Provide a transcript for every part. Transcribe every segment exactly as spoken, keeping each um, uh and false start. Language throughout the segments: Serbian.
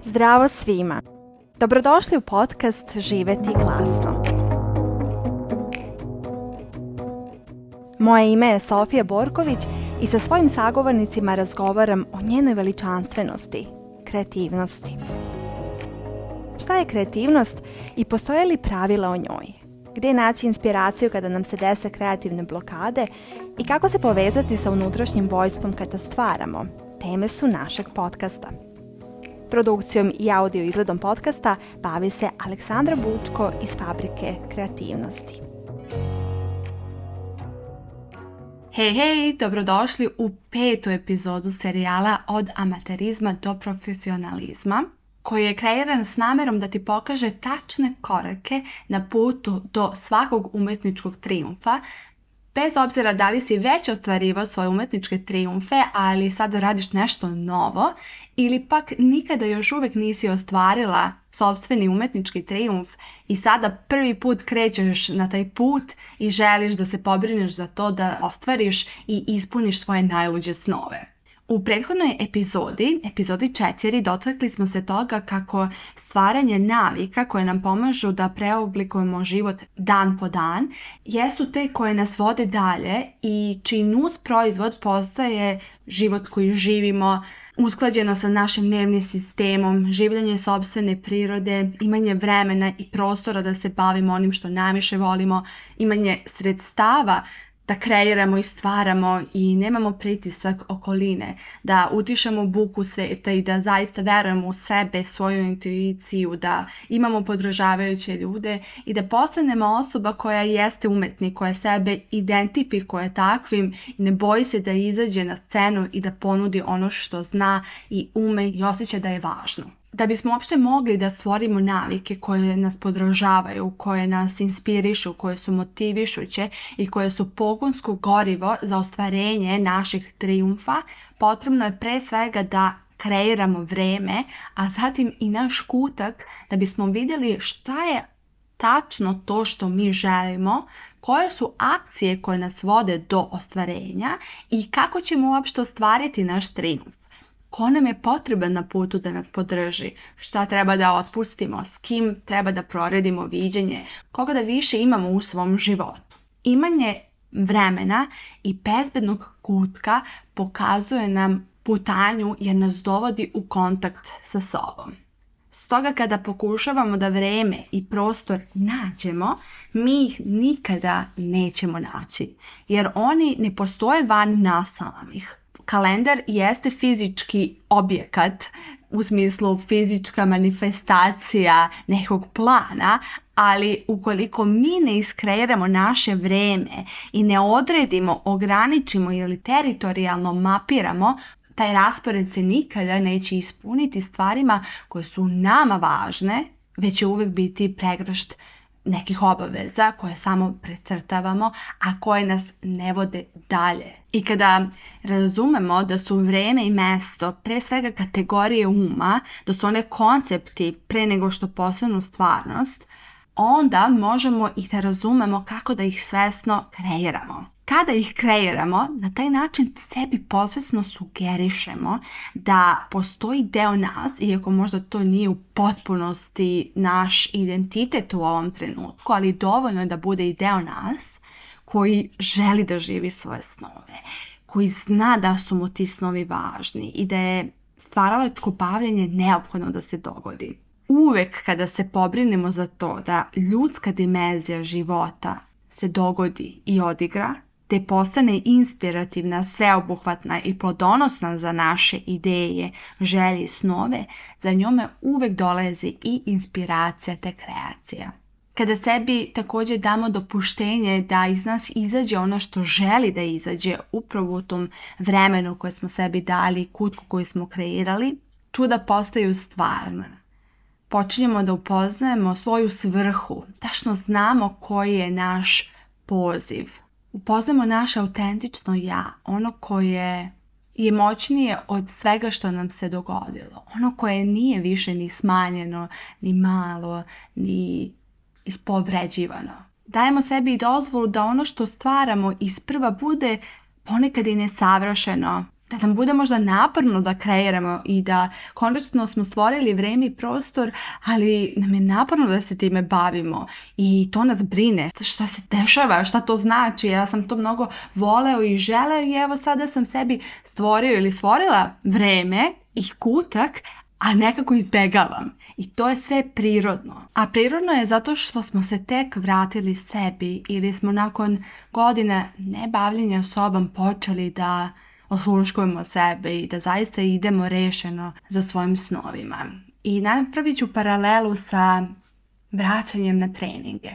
Zdravo svima! Dobrodošli u podcast Živeti glasno. Moje ime je Sofija Borković i sa svojim sagovornicima razgovaram o njenoj veličanstvenosti, kreativnosti. Šta je kreativnost i postoje li pravila o njoj? Gdje naći inspiraciju kada nam se dese kreativne blokade i kako se povezati sa unutrašnjim vojstvom kada stvaramo? Teme su našeg podcasta. Produkcijom i audio izgledom podcasta bavi se Aleksandra Bučko iz Fabrike kreativnosti. Hej, hej, dobrodošli u petu epizodu serijala Od amaterizma do profesionalizma, koji je kreiran s namjerom da ti pokaže tačne korake na putu do svakog umetničkog trijumfa, bez obzira da li si već ostvarivao svoje umetničke trijumfe, ali sada radiš nešto novo, ili pak nikada još uvijek nisi ostvarila sopstveni umetnički trijumf i sada prvi put krećeš na taj put i želiš da se pobrineš za to da ostvariš i ispuniš svoje najluđe snove. U prethodnoj epizodi, epizodi četiri, dotakli smo se toga kako stvaranje navika koje nam pomažu da preoblikujemo život dan po dan jesu te koje nas vode dalje i čiji nus proizvod postaje život koji živimo, usklađeno sa našim nervnim sistemom, življenje sopstvene prirode, imanje vremena i prostora da se bavimo onim što najviše volimo, imanje sredstava da kreiramo i stvaramo i nemamo pritisak okoline, da utišamo buku sveta i da zaista verujemo u sebe, svoju intuiciju, da imamo podržavajuće ljude i da postanemo osoba koja jeste umetnik, koja sebe identifikuje takvim i ne boji se da izađe na scenu i da ponudi ono što zna i ume i osjeća da je važno. Da bismo uopšte mogli da stvorimo navike koje nas podržavaju, koje nas inspirišu, koje su motivišuće i koje su pogonsko gorivo za ostvarenje naših trijumfa, potrebno je pre svega da kreiramo vreme, a zatim i naš kutak da bismo vidjeli šta je tačno to što mi želimo, koje su akcije koje nas vode do ostvarenja i kako ćemo uopšte ostvariti naš trijumf. Ko nam je potreban na putu da nas podrži, šta treba da otpustimo, s kim treba da proredimo viđenje, koga da više imamo u svom životu. Imanje vremena i bezbednog kutka pokazuje nam putanju jer nas dovodi u kontakt sa sobom. Stoga kada pokušavamo da vreme i prostor nađemo, mi ih nikada nećemo naći, jer oni ne postoje van nas samih. Kalendar jeste fizički objekat, u smislu fizička manifestacija nekog plana, ali ukoliko mi ne iskreiramo naše vreme i ne odredimo, ograničimo ili teritorijalno mapiramo, taj raspored se nikada neće ispuniti stvarima koje su nama važne, već će uvijek biti pregršt nekih obaveza koje samo precrtavamo, a koje nas ne vode dalje. I kada razumemo da su vreme i mesto pre svega kategorije uma, da su one koncepti pre nego što postanu stvarnost, onda možemo i da razumemo kako da ih svesno kreiramo. Kada ih kreiramo, na taj način sebi posvesno sugerišemo da postoji deo nas, iako možda to nije u potpunosti naš identitet u ovom trenutku, ali dovoljno je da bude i deo nas koji želi da živi svoje snove, koji zna da su mu ti snovi važni i da je stvaralačko bavljenje neophodno da se dogodi. Uvek kada se pobrinemo za to da ljudska dimenzija života se dogodi i odigra, te postane inspirativna, sveobuhvatna i plodonosna za naše ideje, želje i snove, za njome uvek dolazi i inspiracija te kreacija. Kada sebi također damo dopuštenje da iz nas izađe ono što želi da izađe upravo u tom vremenu koje smo sebi dali, kutku koju smo kreirali, čuda postaju stvarna. Počinjemo da upoznajemo svoju svrhu, tačno znamo koji je naš poziv. Upoznamo naše autentično ja, ono koje je moćnije od svega što nam se dogodilo. Ono koje nije više ni smanjeno, ni malo, ni ispovređivano. Dajemo sebi i dozvolu da ono što stvaramo isprva bude ponekad i nesavršeno, da nam bude možda naporno da kreiramo i da konačno smo stvorili vreme i prostor, ali nam je naporno da se time bavimo i to nas brine. Šta se dešava, šta to znači? Ja sam to mnogo voleo i želeo i evo sada sam sebi stvorio ili stvorila vreme i kutak, a nekako izbegavam. I to je sve prirodno. A prirodno je zato što smo se tek vratili sebi ili smo nakon godine nebavljenja sobom počeli da osluškujemo sebe i da zaista idemo rešeno za svojim snovima. I napravit ću paralelu sa vraćanjem na treninge.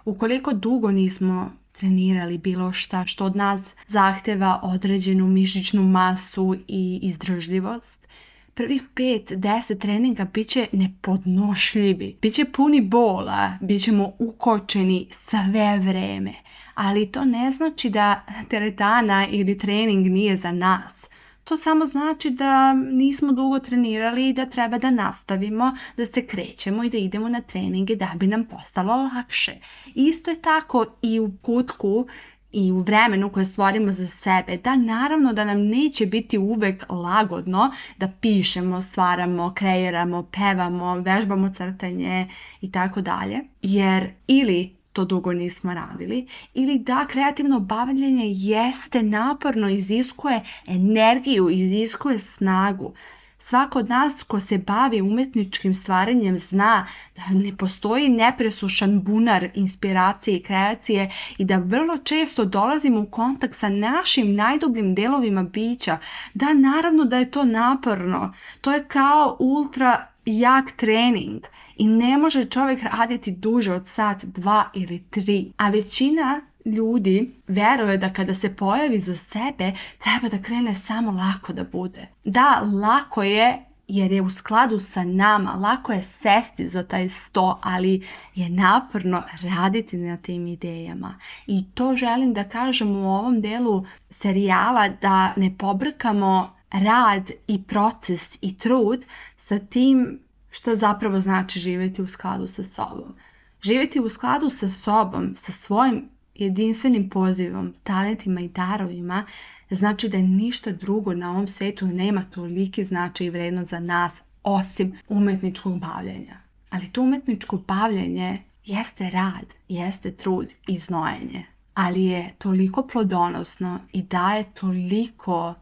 Ukoliko dugo nismo trenirali bilo šta što od nas zahteva određenu mišićnu masu i izdržljivost, prvih pet do deset treninga bit će nepodnošljivi, bit će puni bola, bit ćemo ukočeni sve vreme. Ali to ne znači da teretana ili trening nije za nas. To samo znači da nismo dugo trenirali i da treba da nastavimo, da se krećemo i da idemo na treninge da bi nam postalo lakše. Isto je tako i u kutku i u vremenu koje stvorimo za sebe, da naravno da nam neće biti uvek lagodno da pišemo, stvaramo, kreiramo, pevamo, vežbamo crtanje i tako dalje, jer ili to dugo nismo radili, ili da kreativno bavljenje jeste naporno, iziskuje energiju, iziskuje snagu. Svako od nas ko se bavi umetničkim stvaranjem zna da ne postoji nepresušan bunar inspiracije i kreacije i da vrlo često dolazimo u kontakt sa našim najdubljim delovima bića. Da, naravno da je to naporno. To je kao ultra jak trening i ne može čovjek raditi duže od sat, dva ili tri. A većina ljudi veruje da kada se pojavi za sebe treba da krene samo lako da bude. Da, lako je jer je u skladu sa nama, lako je sesti za taj sto, ali je naporno raditi na tim idejama. I to želim da kažem u ovom delu serijala, da ne pobrkamo rad i proces i trud sa tim što zapravo znači živjeti u skladu sa sobom. Živjeti u skladu sa sobom, sa svojim jedinstvenim pozivom, talentima i darovima, znači da ništa drugo na ovom svijetu nema toliki značaj i vrednost za nas osim umetničkog bavljenja. Ali to umetničko bavljenje jeste rad, jeste trud i znojenje, ali je toliko plodonosno i daje toliko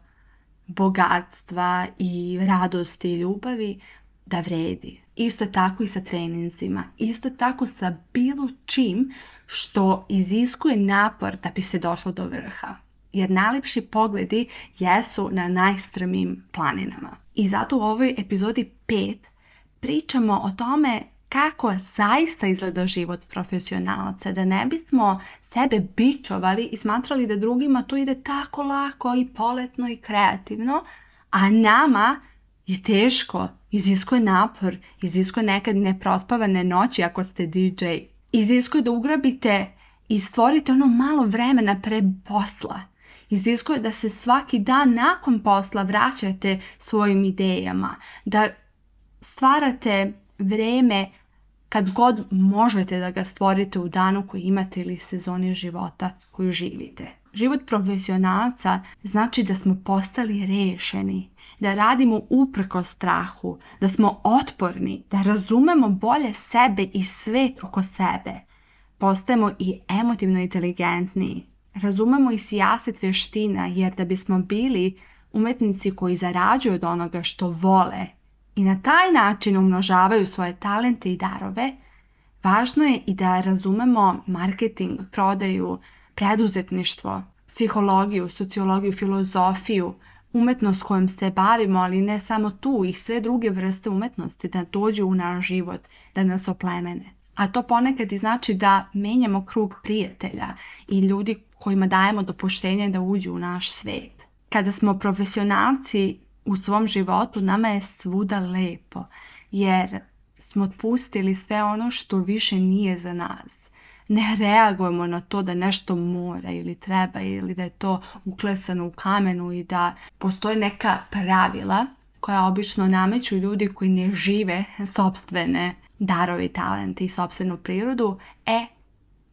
bogatstva i radosti i ljubavi da vredi. Isto tako i sa treninzima, isto tako sa bilo čim što iziskuje napor da bi se došlo do vrha. Jer najlepši pogledi jesu na najstrmijim planinama. I zato u ovoj epizodi pet pričamo o tome kako zaista izgleda život profesionalca, da ne bismo sebe bičovali i smatrali da drugima to ide tako lako i poletno i kreativno, a nama je teško, iziskuje napor, iziskuje nekad neprospavane noći ako ste D J. Iziskuje da ugrabite i stvorite ono malo vremena pre posla. Iziskuje da se svaki dan nakon posla vraćate svojim idejama, da stvarate vreme kad god možete da ga stvorite u danu koji imate ili sezoni života koju živite. Život profesionalca znači da smo postali rešeni, da radimo uprkos strahu, da smo otporni, da razumemo bolje sebe i svet oko sebe. Postajemo i emotivno inteligentniji. Razumemo i sijaset vještina, jer da bismo bili umetnici koji zarađuju od onoga što vole i na taj način umnožavaju svoje talente i darove, važno je i da razumemo marketing, prodaju, preduzetništvo, psihologiju, sociologiju, filozofiju, umetnost kojom se bavimo, ali ne samo tu, i sve druge vrste umetnosti da dođu u naš život, da nas oplemene. A to ponekad i znači da menjamo krug prijatelja i ljudi kojima dajemo dopuštenje da uđu u naš svet. Kada smo profesionalci u svom životu, nama je svuda lepo, jer smo otpustili sve ono što više nije za nas. Ne reagujemo na to da nešto mora ili treba ili da je to uklesano u kamenu i da postoje neka pravila koja obično nameću ljudi koji ne žive sopstvene darove i talente i sopstvenu prirodu. E,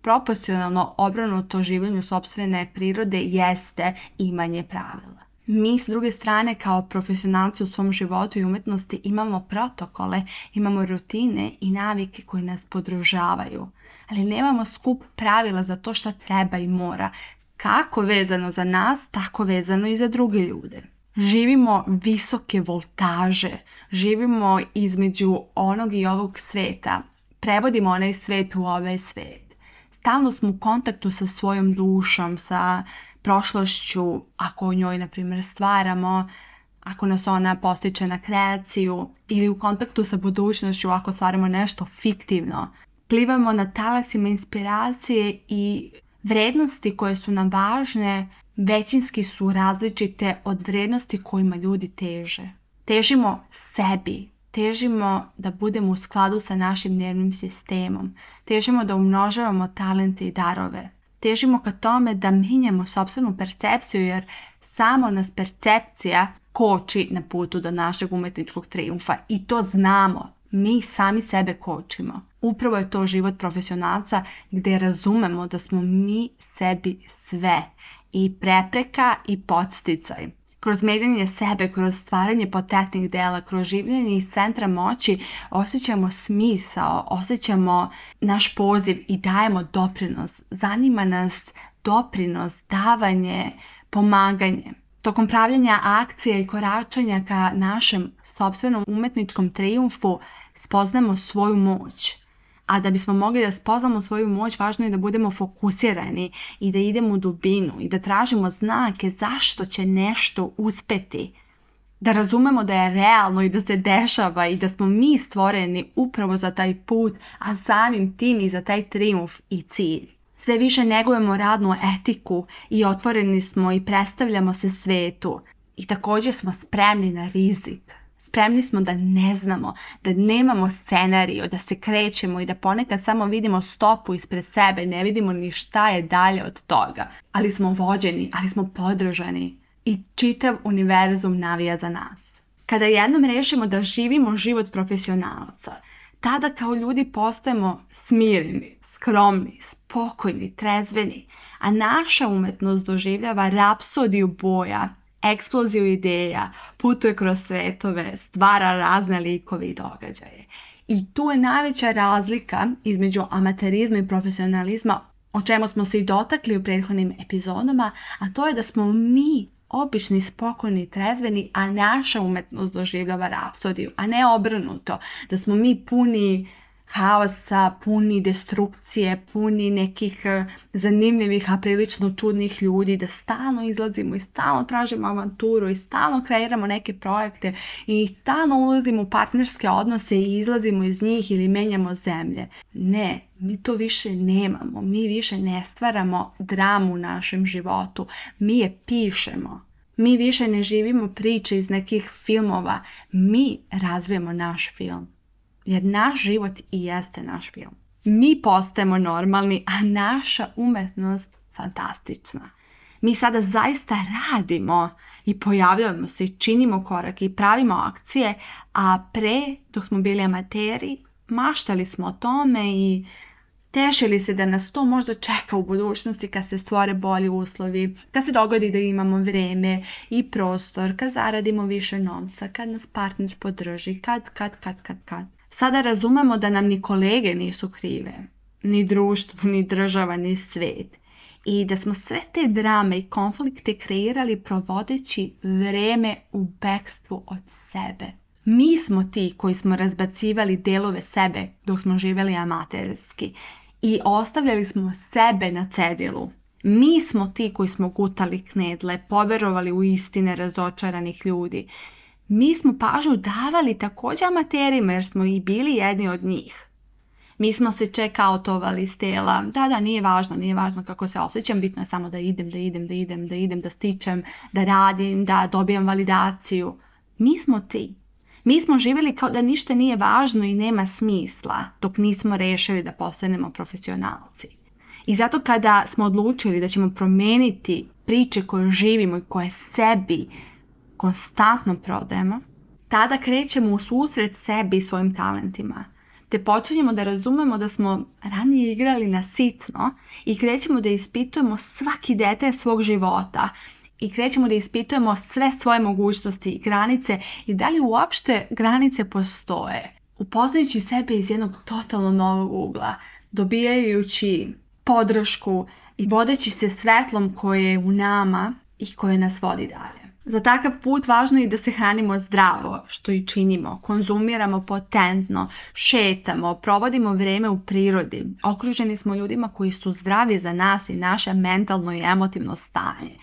proporcionalno obrnuto življenju sopstvene prirode jeste imanje pravila. Mi s druge strane kao profesionalci u svom životu i umjetnosti imamo protokole, imamo rutine i navike koje nas podržavaju, ali nemamo skup pravila za to što treba i mora, kako vezano za nas, tako vezano i za druge ljude. Živimo visoke voltaže, živimo između onog i ovog sveta, prevodimo onaj svet u ovaj svet. Stalno smo u kontaktu sa svojom dušom, sa prošlošću, ako o njoj, na primjer, stvaramo, ako nas ona postiče na kreaciju, ili u kontaktu sa budućnošću ako stvaramo nešto fiktivno. Plivamo na talasima inspiracije i vrednosti koje su nam važne većinski su različite od vrednosti kojima ljudi teže. Težimo sebi, težimo da budemo u skladu sa našim nervnim sistemom, težimo da umnožavamo talente i darove. Težimo ka tome da mijenjamo sopstvenu percepciju, jer samo nas percepcija koči na putu do našeg umjetničkog trijumfa i to znamo. Mi sami sebe kočimo. Upravo je to život profesionalca gdje razumemo da smo mi sebi sve, i prepreka i podsticaj. Kroz mijenjanje sebe, kroz stvaranje potentnih dela, kroz življenje iz centra moći osjećamo smisao, osjećamo naš poziv i dajemo doprinos. Zanima nas doprinos, davanje, pomaganje. Tokom pravljanja akcija i koračanja ka našem sopstvenom umjetničkom trijumfu spoznamo svoju moć. A da bismo mogli da spoznamo svoju moć, važno je da budemo fokusirani i da idemo u dubinu i da tražimo znake zašto će nešto uspjeti. Da razumemo da je realno i da se dešava i da smo mi stvoreni upravo za taj put, a samim tim i za taj trijumf i cilj. Sve više negujemo radnu etiku i otvoreni smo i predstavljamo se svetu. I također smo spremni na rizik. Spremni smo da ne znamo, da nemamo scenariju, da se krećemo i da ponekad samo vidimo stopu ispred sebe, ne vidimo ni šta je dalje od toga. Ali smo vođeni, ali smo podržani i čitav univerzum navija za nas. Kada jednom rešimo da živimo život profesionalca, tada kao ljudi postajemo smireni, skromni, spokojni, trezveni, a naša umjetnost doživljava rapsodiju boja, eksploziju ideja, putuje kroz svetove, stvara razne likove i događaje. I tu je najveća razlika između amaterizma i profesionalizma, o čemu smo se i dotakli u prethodnim epizodama, a to je da smo mi obični, spokojni, trezveni, a naša umjetnost doživljava rapsodiju, a ne obrnuto, da smo mi puni haosa, puni destrukcije, puni nekih zanimljivih, a prilično čudnih ljudi, da stalno izlazimo i stalno tražimo avanturu i stalno kreiramo neke projekte i stalno ulazimo u partnerske odnose i izlazimo iz njih ili menjamo zemlje. Ne, mi to više nemamo, mi više ne stvaramo dramu u našem životu, mi je pišemo. Mi više ne živimo priče iz nekih filmova, mi razvijemo naš film. Jer naš život i jeste naš film. Mi postajemo normalni, a naša umjetnost fantastična. Mi sada zaista radimo i pojavljujemo se i činimo korake i pravimo akcije, a pre, dok smo bili amateri, maštali smo o tome i tešili se da nas to možda čeka u budućnosti kad se stvore bolji uslovi, kad se dogodi da imamo vreme i prostor, kad zaradimo više novca, kad nas partner podrži, kad, kad, kad, kad, kad. Sada razumemo da nam ni kolege nisu krive, ni društvo, ni država, ni svet. I da smo sve te drame i konflikte kreirali provodeći vreme u bekstvu od sebe. Mi smo ti koji smo razbacivali delove sebe dok smo živjeli amaterski i ostavljali smo sebe na cedilu. Mi smo ti koji smo gutali knedle, poverovali u istine razočaranih ljudi. Mi smo pažnju davali također amaterima jer smo i bili jedni od njih. Mi smo se check-outovali s tela. Da, da, nije važno, nije važno kako se osjećam, bitno je samo da idem, da idem, da idem, da idem, da stičem, da radim, da dobijem validaciju. Mi smo ti. Mi smo živjeli kao da ništa nije važno i nema smisla dok nismo rešili da postanemo profesionalci. I zato kada smo odlučili da ćemo promijeniti priče koje živimo i koje sebi konstantno prodajemo, tada krećemo u susret sebi i svojim talentima. Te počinjemo da razumemo da smo ranije igrali na sitno i krećemo da ispitujemo svaki detalj svog života i krećemo da ispitujemo sve svoje mogućnosti i granice i da li uopšte granice postoje. Upoznajući sebe iz jednog totalno novog ugla, dobijajući podršku i vodeći se svetlom koje je u nama i koje nas vodi dalje. Za takav put važno je da se hranimo zdravo, što i činimo, konzumiramo potentno, šetamo, provodimo vrijeme u prirodi, okruženi smo ljudima koji su zdravi za nas i naše mentalno i emotivno stanje.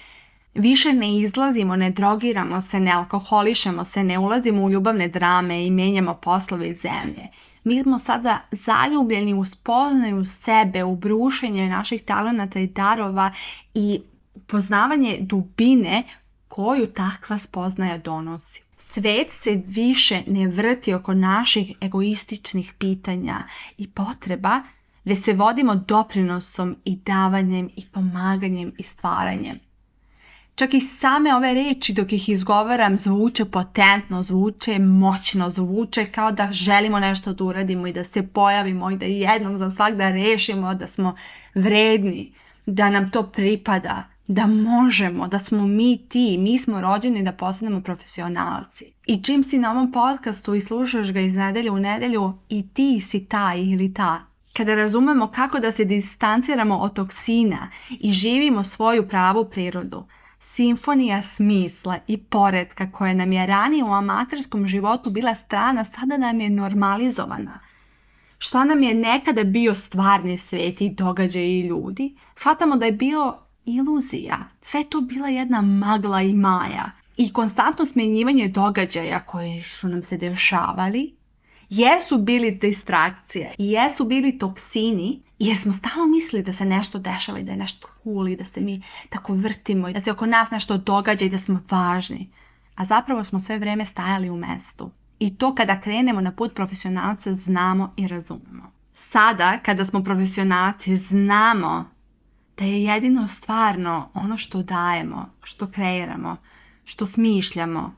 Više ne izlazimo, ne drogiramo se, ne alkoholišemo se, ne ulazimo u ljubavne drame i menjamo poslove iz zemlje. Mi smo sada zaljubljeni u spoznaju sebe, u brušenje naših talenata i darova i poznavanje dubine koju takva spoznaja donosi. Svet se više ne vrti oko naših egoističnih pitanja i potreba, već se vodimo doprinosom i davanjem i pomaganjem i stvaranjem. Čak i same ove reči dok ih izgovaram zvuče potentno, zvuče moćno, zvuče kao da želimo nešto da uradimo i da se pojavimo i da jednom za svagda rešimo da smo vredni, da nam to pripada, da možemo, da smo mi ti, mi smo rođeni da postanemo profesionalci. I čim si na ovom podcastu i slušaš ga iz nedelje u nedelju i ti si taj ili ta, kada razumemo kako da se distanciramo od toksina i živimo svoju pravu prirodu, simfonija smisla i poretka koja nam je ranije u amaterskom životu bila strana, sada nam je normalizovana. Šta nam je nekada bio stvarni svet i događaji i ljudi, shvatamo da je bio iluzija. Sve to bila jedna magla i maja. I konstantno smjenjivanje događaja koji su nam se dešavali jesu bili distrakcije i jesu bili toksini, jer smo stalno mislili da se nešto dešava i da je nešto cool i da se mi tako vrtimo i da se oko nas nešto događa i da smo važni. A zapravo smo sve vrijeme stajali u mestu. I to kada krenemo na put profesionalca znamo i razumemo. Sada kada smo profesionalci znamo da je jedino stvarno ono što dajemo, što kreiramo, što smišljamo.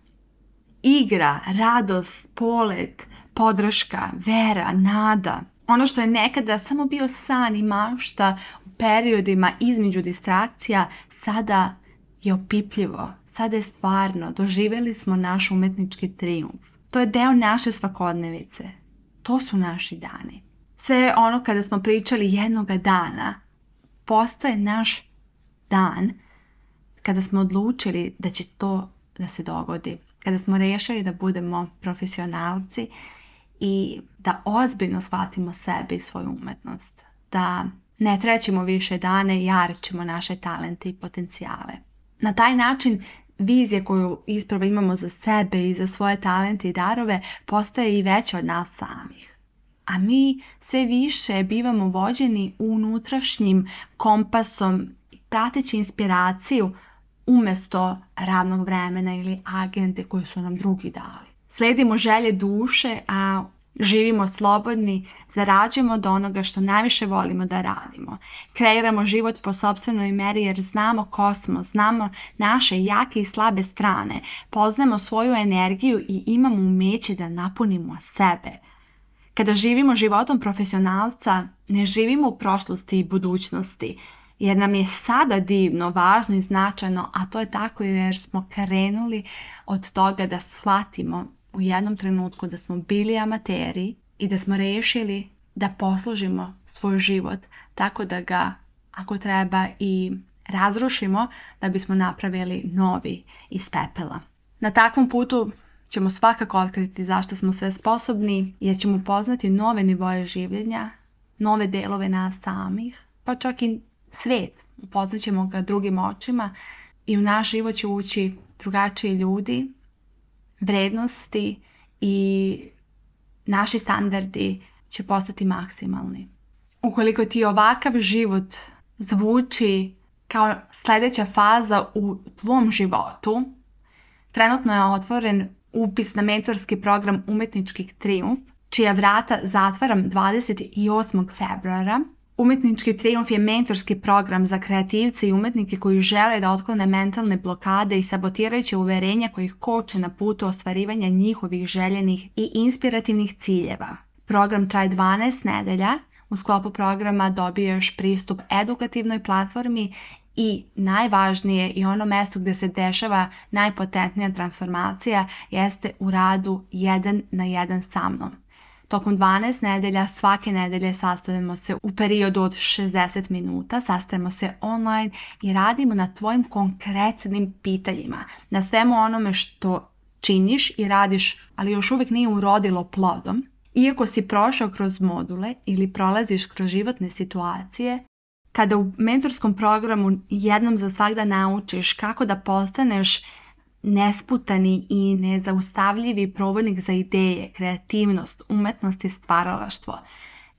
Igra, radost, polet, podrška, vera, nada. Ono što je nekada samo bio san i mašta u periodima između distrakcija, sada je opipljivo, sada je stvarno. Doživjeli smo naš umetnički trijumf. To je deo naše svakodnevice. To su naši dani. Sve ono kada smo pričali jednoga dana, postaje naš dan kada smo odlučili da će to da se dogodi. Kada smo rešili da budemo profesionalci i da ozbiljno shvatimo sebe i svoju umetnost. Da ne trećimo više dane i jarićemo naše talente i potencijale. Na taj način vizija koju ispravo imamo za sebe i za svoje talente i darove postaje i veća od nas samih. A mi sve više bivamo vođeni unutrašnjim kompasom, prateći inspiraciju umjesto radnog vremena ili agende koje su nam drugi dali. Sledimo želje duše, a živimo slobodni, zarađujemo od onoga što najviše volimo da radimo. Kreiramo život po sopstvenoj meri jer znamo ko smo, znamo naše jake i slabe strane, poznajemo svoju energiju i imamo umeće da napunimo sebe. Kada živimo životom profesionalca, ne živimo u prošlosti i budućnosti, jer nam je sada divno, važno i značajno, a to je tako jer smo krenuli od toga da shvatimo u jednom trenutku da smo bili amateri i da smo rešili da poslužimo svoj život tako da ga, ako treba, i razrušimo da bismo napravili novi iz pepela. Na takvom putu ćemo svakako otkriti zašto smo sve sposobni, jer ćemo upoznati nove nivoje življenja, nove delove nas samih, pa čak i svet. Upoznat ćemo ga drugim očima i u naš život će ući drugačiji ljudi, vrednosti i naši standardi će postati maksimalni. Ukoliko ti ovakav život zvuči kao sljedeća faza u tvom životu, trenutno je otvoren upis na mentorski program Umetnički trijumf, čija vrata zatvaram dvadeset osmog februara. Umetnički trijumf je mentorski program za kreativce i umetnike koji žele da otklone mentalne blokade i sabotirajuće uverenja koji ih koče na putu ostvarivanja njihovih željenih i inspirativnih ciljeva. Program traje dvanaest nedelja. U sklopu programa dobiješ pristup edukativnoj platformi I najvažnije i ono mesto gdje se dešava najpotentnija transformacija jeste u radu jedan na jedan sa mnom. Tokom dvanaest nedelja svake nedelje sastavimo se u periodu od šezdeset minuta, sastavimo se online i radimo na tvojim konkretnim pitanjima, na svemu onome što činiš i radiš, ali još uvijek nije urodilo plodom. Iako si prošao kroz module ili prolaziš kroz životne situacije, kada u mentorskom programu jednom za svagda naučiš kako da postaneš nesputani i nezaustavljivi provodnik za ideje, kreativnost, umetnost i stvaralaštvo,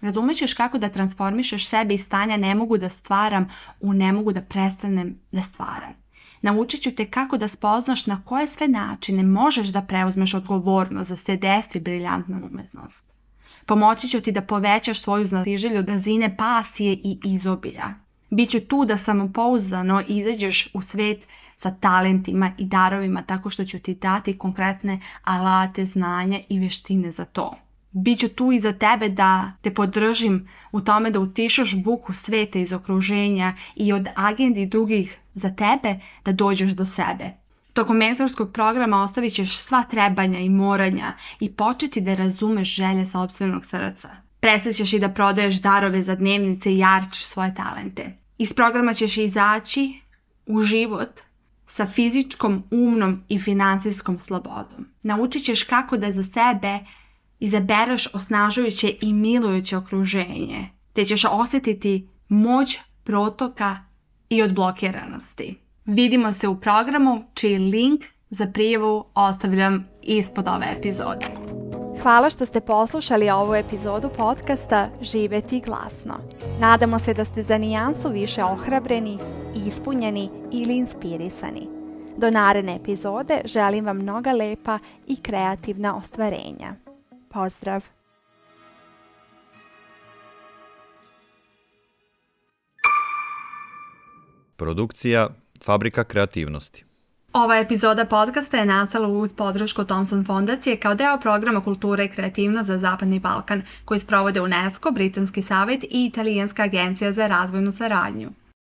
razumećeš kako da transformišeš sebe iz stanja ne mogu da stvaram u ne mogu da prestanem da stvaram. Naučit ću te kako da spoznaš na koje sve načine možeš da preuzmeš odgovornost da se desi briljantna umetnost. Pomoći ću ti da povećaš svoju znatiželju razine pasije i izobilja. Biću tu da samopouzdano izađeš u svet sa talentima i darovima tako što ću ti dati konkretne alate, znanja i vještine za to. Biću tu i za tebe da te podržim u tome da utišaš buku sveta iz okruženja i od agendi drugih za tebe da dođeš do sebe. Tokom mentorskog programa ostavit ćeš sva trebanja i moranja i početi da razumeš želje sopstvenog srca. Prestat ćeš i da prodaješ darove za dnevnice i jarčiš svoje talente. Iz programa ćeš izaći u život sa fizičkom, umnom i financijskom slobodom. Naučit ćeš kako da za sebe izabereš osnažujuće i milujuće okruženje, te ćeš osjetiti moć protoka i odblokiranosti. Vidimo se u programu čiji link za prijavu ostavljam ispod ove epizode. Hvala što ste poslušali ovu epizodu podcasta Živjeti glasno. Nadamo se da ste za nijansu više ohrabreni, ispunjeni ili inspirisani. Do naredne epizode želim vam mnoga lepa i kreativna ostvarenja. Pozdrav! Produkcija Fabrika kreativnosti. Ova epizoda podcasta je nastala uz podršku Thomson fondacije kao deo programa Kultura i kreativnost za Zapadni Balkan koji sprovode UNESCO, Britanski savjet i Italijanska agencija za razvojnu saradnju.